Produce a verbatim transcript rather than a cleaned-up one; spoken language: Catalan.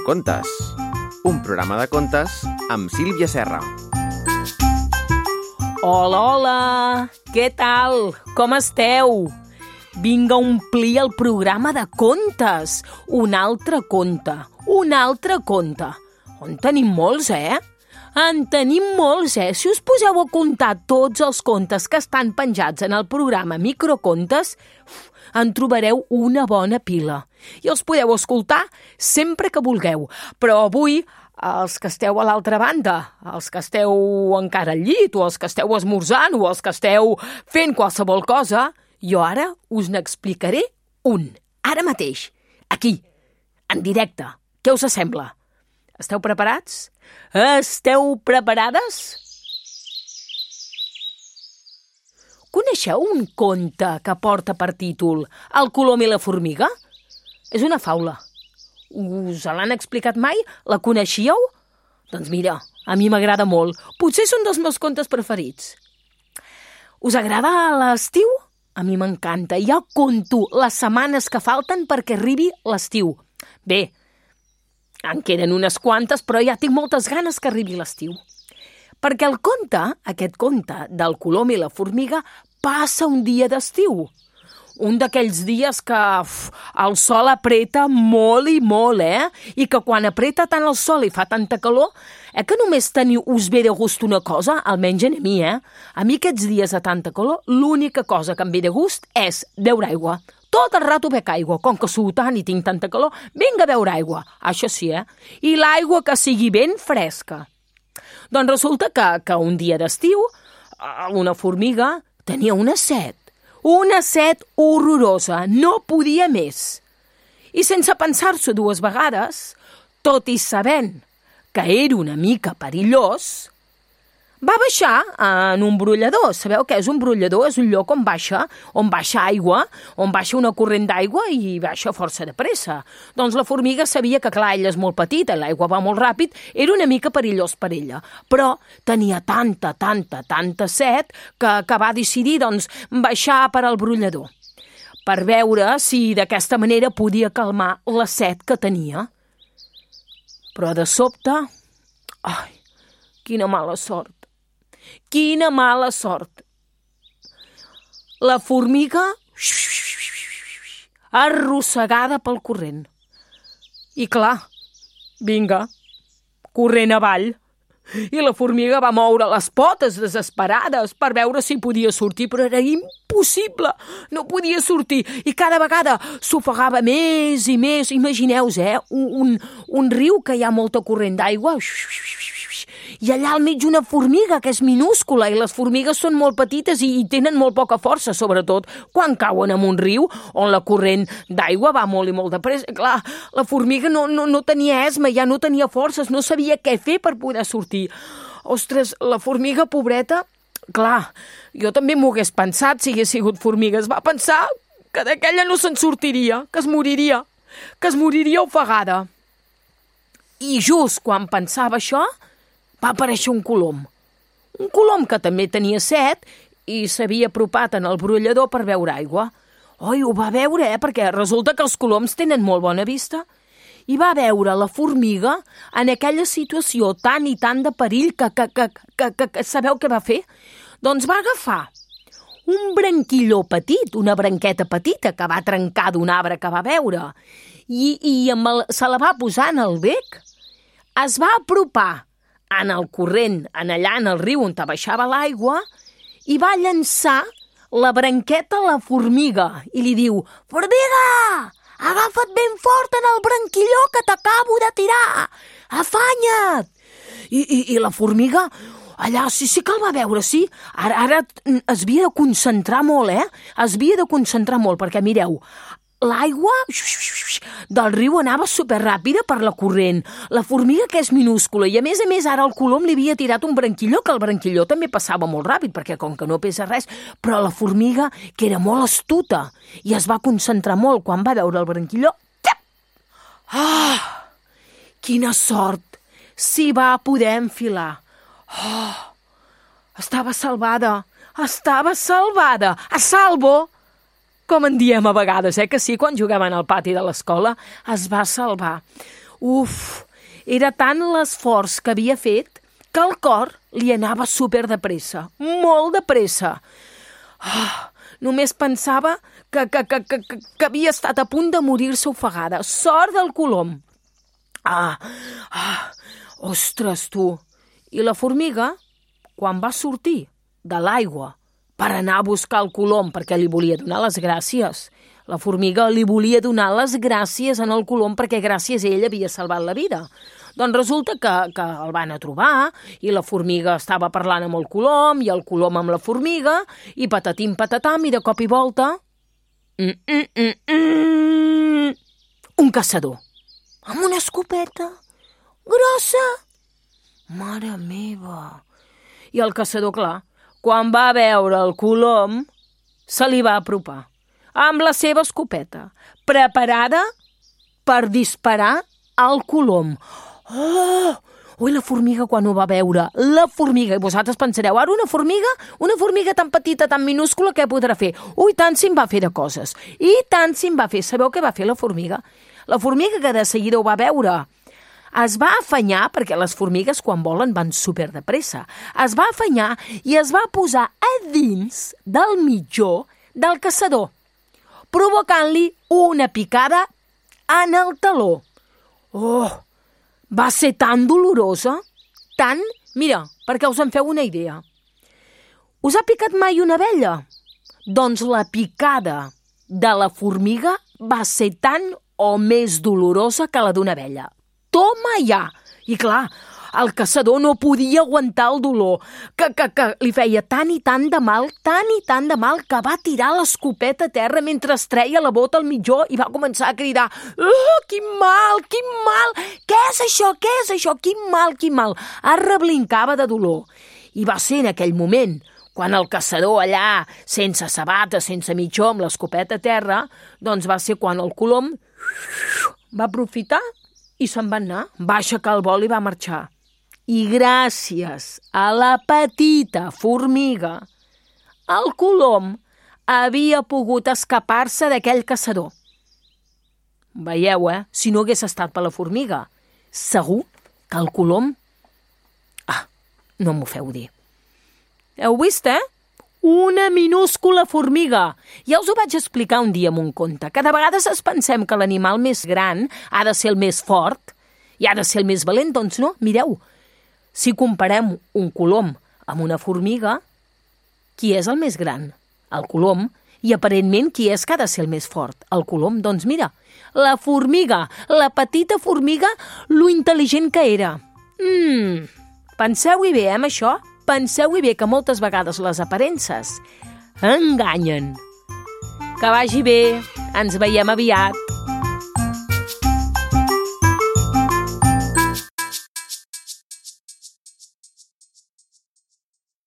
Microcontes, un programa de contes amb Sílvia Serra. Hola, hola! Què tal? Com esteu? Vinga a omplir el programa de contes. Un altre conte, un altre conte. En tenim molts, eh? En tenim molts, eh? Si us poseu a comptar tots els contes que estan penjats en el programa Microcontes, en trobareu una bona pila. I els podeu escoltar sempre que vulgueu. Però avui, els que esteu a l'altra banda, els que esteu encara al llit, o els que esteu esmorzant, o els que esteu fent qualsevol cosa, jo ara us n'explicaré un. Ara mateix, aquí, en directe. Què us sembla? Esteu preparats? Esteu preparades? Coneixeu un conte que porta per títol El colom i la formiga? És una faula. Us l'han explicat mai? La coneixíeu? Doncs mira, a mi m'agrada molt. Potser són dels meus contes preferits. Us agrada l'estiu? A mi m'encanta. Ja conto les setmanes que falten perquè arribi l'estiu. Bé, en queden unes quantes, però ja tinc moltes ganes que arribi l'estiu. Perquè el conte, aquest conte del colom i la formiga, passa un dia d'estiu. Un d'aquells dies que uf, el sol apreta molt i molt, eh? I que quan apreta tant el sol i fa tanta calor, eh que només teniu, us ve de gust una cosa, almenys a mi, eh? A mi aquests dies de tanta calor, l'única cosa que em ve de gust és beure aigua. Tot el rato bec aigua, com que suo tant i tinc tanta calor, vinga a beure aigua. Això sí, eh? I l'aigua que sigui ben fresca. Doncs resulta que, que un dia d'estiu, una formiga tenia una set. Una set horrorosa, no podia més. I sense pensar-s'ho dues vegades, tot i sabent que era una mica perillós, va baixar en un brollador. Sabeu què és un brollador? És un lloc on baixa, on baixa aigua, on baixa una corrent d'aigua i baixa força de pressa. Doncs la formiga sabia que, clar, ella és molt petita, l'aigua va molt ràpid, era una mica perillós per ella. Però tenia tanta, tanta, tanta set que, que va decidir, doncs, baixar per al brollador per veure si d'aquesta manera podia calmar la set que tenia. Però de sobte... Ai, quina mala sort! Quina mala sort! La formiga arrossegada pel corrent. I clar, vinga, corrent avall. I la formiga va moure les potes desesperades per veure si podia sortir, però era impossible, no podia sortir. I cada vegada s'ofegava més i més. Imagineu-vos, eh? Un, un, un riu que hi ha molta corrent d'aigua, i allà al mig una formiga que és minúscula, i les formigues són molt petites i, i tenen molt poca força, sobretot quan cauen en un riu on la corrent d'aigua va molt i molt de pressa. Clar, la formiga no, no, no tenia esma, ja no tenia forces, no sabia què fer per poder sortir. Ostres, la formiga pobreta, clar, jo també m'ho hagués pensat si hagués sigut formiga. Es va pensar que d'aquella no se'n sortiria, que es moriria, que es moriria ofegada. I just quan pensava això, va aparèixer un colom. Un colom que també tenia set i s'havia apropat en el brollador per beure aigua. Oi, ho va veure, eh? Perquè resulta que els coloms tenen molt bona vista. I va veure la formiga en aquella situació tan i tan de perill que, que, que, que, que, que sabeu què va fer? Doncs va agafar un branquilló petit, una branqueta petita que va trencar d'un arbre que va veure, i, i amb el, se la va posar en el bec. Es va apropar en el corrent, en allà en el riu on baixava l'aigua, i va llançar la branqueta a la formiga i li diu: «Formiga, agafa't ben fort en el branquilló que t'acabo de tirar! Afanya't!» I, i, i la formiga, allà sí, sí que el va veure, sí. Ara, ara es havia de concentrar molt, eh? Es havia de concentrar molt, perquè mireu, l'aigua del riu anava superràpida per la corrent. La formiga, que és minúscula, i a més a més ara el colom li havia tirat un branquilló, que el branquilló també passava molt ràpid, perquè com que no pesa res, però la formiga, que era molt astuta, i es va concentrar molt quan va veure el branquilló. Ah, quina sort! S'hi va poder enfilar. Oh, estava salvada, estava salvada, a salvo! Com en diem a vegades, eh, que sí, quan jugaven al pati de l'escola, es va salvar. Uf, era tant l'esforç que havia fet que el cor li anava super de pressa, molt de pressa. Oh, només pensava que, que, que, que, que havia estat a punt de morir-se ofegada. Sort del colom. Ah, ah, ostres, tu. I la formiga, quan va sortir de l'aigua per anar a buscar el colom perquè li volia donar les gràcies, la formiga li volia donar les gràcies en el colom perquè gràcies a ell havia salvat la vida. Doncs resulta que, que el van a trobar i la formiga estava parlant amb el colom i el colom amb la formiga i patatim patatam i de cop i volta mm, mm, mm, mm, un caçador amb una escopeta grossa. Mare meva! I el caçador, clar, quan va veure el colom, se li va apropar amb la seva escopeta, preparada per disparar al colom. Oh! Ui, la formiga quan ho va veure, la formiga, i vosaltres pensareu, ara una formiga, una formiga tan petita, tan minúscula, què podrà fer? Ui, tant si en va fer de coses, i tant si en va fer. Sabeu què va fer la formiga? La formiga que de seguida ho va veure, es va afanyar, perquè les formigues quan volen van super de pressa, es va afanyar i es va posar a dins del mitjó del caçador, provocant-li una picada en el taló. Oh! Va ser tan dolorosa, tant... Mira, perquè us en feu una idea. Us ha picat mai una abella? Doncs la picada de la formiga va ser tan o més dolorosa que la d'una abella. Toma ja! I clar, el caçador no podia aguantar el dolor, que, que, que li feia tant i tant de mal, tant i tant de mal, que va tirar l'escopeta a terra mentre es treia la bota al mitjó i va començar a cridar «Oh, quin mal, quin mal! Què és això, què és això? Quin mal, quin mal!» Es reblincava de dolor. I va ser en aquell moment, quan el caçador allà, sense sabata, sense mitjó, amb l'escopeta a terra, doncs va ser quan el colom va aprofitar i se'n va anar, va aixecar el vol i va marxar. I gràcies a la petita formiga, el colom havia pogut escapar-se d'aquell caçador. Veieu, eh? Si no hagués estat per la formiga, segur que el colom... Ah, no m'ho feu dir. Heu vist, eh? Una minúscula formiga. Ja us ho vaig explicar un dia en un conte, que de vegades es pensem que l'animal més gran ha de ser el més fort i ha de ser el més valent, doncs no, mireu. Si comparem un colom amb una formiga, qui és el més gran? El colom. I aparentment qui és que ha de ser el més fort? El colom. Doncs mira, la formiga, la petita formiga, lo intel·ligent que era. Mm, penseu-hi bé, eh, amb això? Penseu-hi bé que moltes vegades les aparences enganyen. Que vagi bé, ens veiem aviat.